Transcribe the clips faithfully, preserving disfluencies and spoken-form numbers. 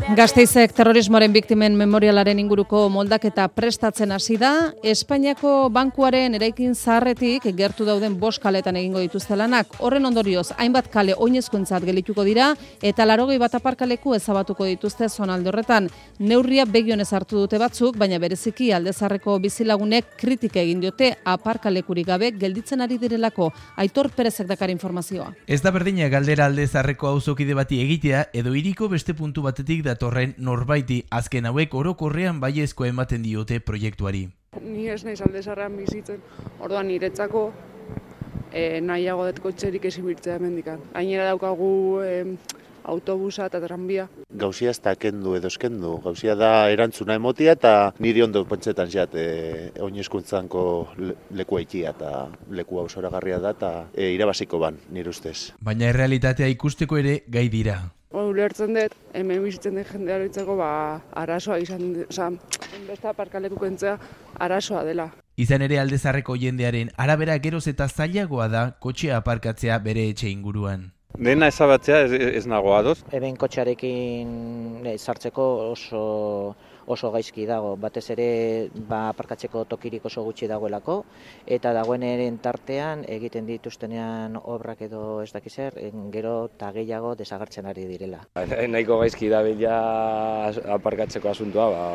Gasteizek terrorismoaren biktimen memorialaren inguruko moldaketa prestatzen hasi da. Espainiako bankuaren eraikin zaharretik gertu dauden bost kaletan egingo dituzte lanak. Horren ondorioz, hainbat kale oinezkoentzat gelituko dira eta laurogei bat aparkaleku ezabatuko dituzte zonalde horretan. Neurria begionez hartu dute batzuk, baina bereziki Alde Zaharreko bizilagunek kritika egin diote aparkalekurik gabe gelditzen ari direlako. Aitor Perezek dakar informazioa. Ez da berdina galdera Alde Zaharreko auzokide bati egitea edo hiriko beste puntu batetik datorren norbaiti, azken hauek orokorrean baiezkoa ematen diote proiektuari. Ni ez naiz Alde Zaharrean bizitzen, orduan niretzako e, nahiago dut kotxerik ezin birtzea hemendikan. Gainera daukagu e, autobusa eta tranbia. Gauzia ez da kendu edo eskendu, gauzia da erantzuna emotia eta niri ondo pentsetan jat e, oinezkuntzanko leku haitia eta leku hau zoragarria da eta e, irabaziko ban, nire ustez. Baina errealitatea ikusteko ere gai dira. Ulertzen dut, hemen bizitzen den jendearentzako ba arazoa izan, oza, beste aparkaleku kentzea arazoa dela. Izan ere Alde Zaharreko jendearen arabera geroz eta zailagoa da kotxea aparkatzea bere etxe inguruan. Dena ezabatzea ez, ez nago adoz. Hemen kotxearekin sartzeko oso oso gaizki dago, batez ere ba, aparkatzeko tokirik oso gutxi dagoelako, eta dagoenaren tartean egiten dituztenean obrak edo ez dakizer, gero eta gehiago desagertzen ari direla. Nahiko gaizki da bila aparkatzeko asuntua, ba,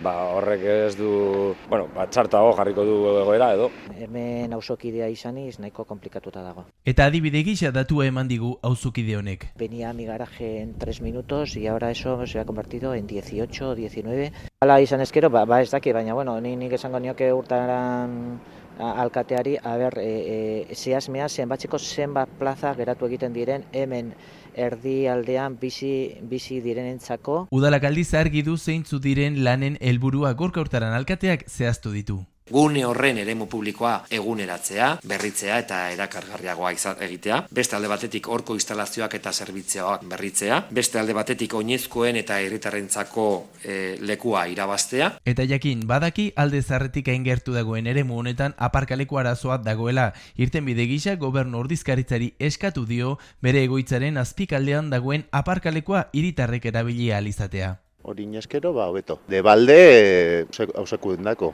ba, horrek ez du, bueno, ba, txartago jarriko du egoera edo. Hemen auzokidea izaniz nahiko komplikatuta dago. Eta adibide gisa datua eman digu auzokide honek. Venía a mi garaje en tres minutos y ahora eso se ha convertido en dieciocho o diecinueve. Hala izan ezkero, ba, ba ez daki, baina bueno, ni nik esango nioke urtaran alkateari, a ber, e, e, zehazmea zenbatzeko zenbat plaza geratu egiten diren hemen erdialdean bizi bizi direnentzako. Udalak aldiz argi du zeintzu diren lanen helburua gorka urtaran alkateak zehaztu ditu. Gune horren eremu publikoa eguneratzea, berritzea eta erakargarriagoa egitea. Beste alde batetik horko instalazioak eta zerbitzioak berritzea. Beste alde batetik oinezkoen eta herritarrentzako e, lekua irabaztea. Eta jakin, badaki Alde Zaharretik aingertu dagoen eremu honetan aparkaleku arazoa dagoela. Irtenbide gisa gobernu ordezkaritzari eskatu dio bere egoitzaren azpikaldean dagoen aparkalekua hiritarrek erabili ahal izatea. Hori inezkero, ba, hobeto. De balde, hauseku dendako.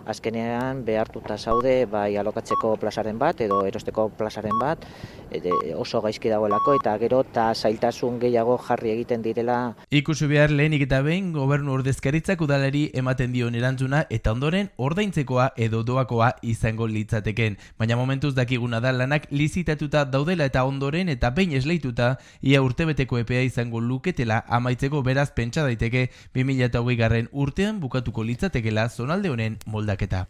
Azkenean behartuta zaude bai alokatzeko plazaren bat edo erosteko plazaren bat oso gaizki dagoelako eta gero eta zailtasun gehiago jarri egiten direla. Ikusi behar lehenik eta behin gobernu ordezkaritzak udalari ematen dion erantzuna eta ondoren ordaintzekoa edo doakoa izango litzateken. Baina momentuz dakiguna da lanak lizitatuta daudela eta ondoren eta behin esleituta ia urtebeteko epea izango luketela amaitzeko, beraz pentsa daiteke bi mila hogei garren urtean bukatuko litzatekela zonalde honen moldaketa.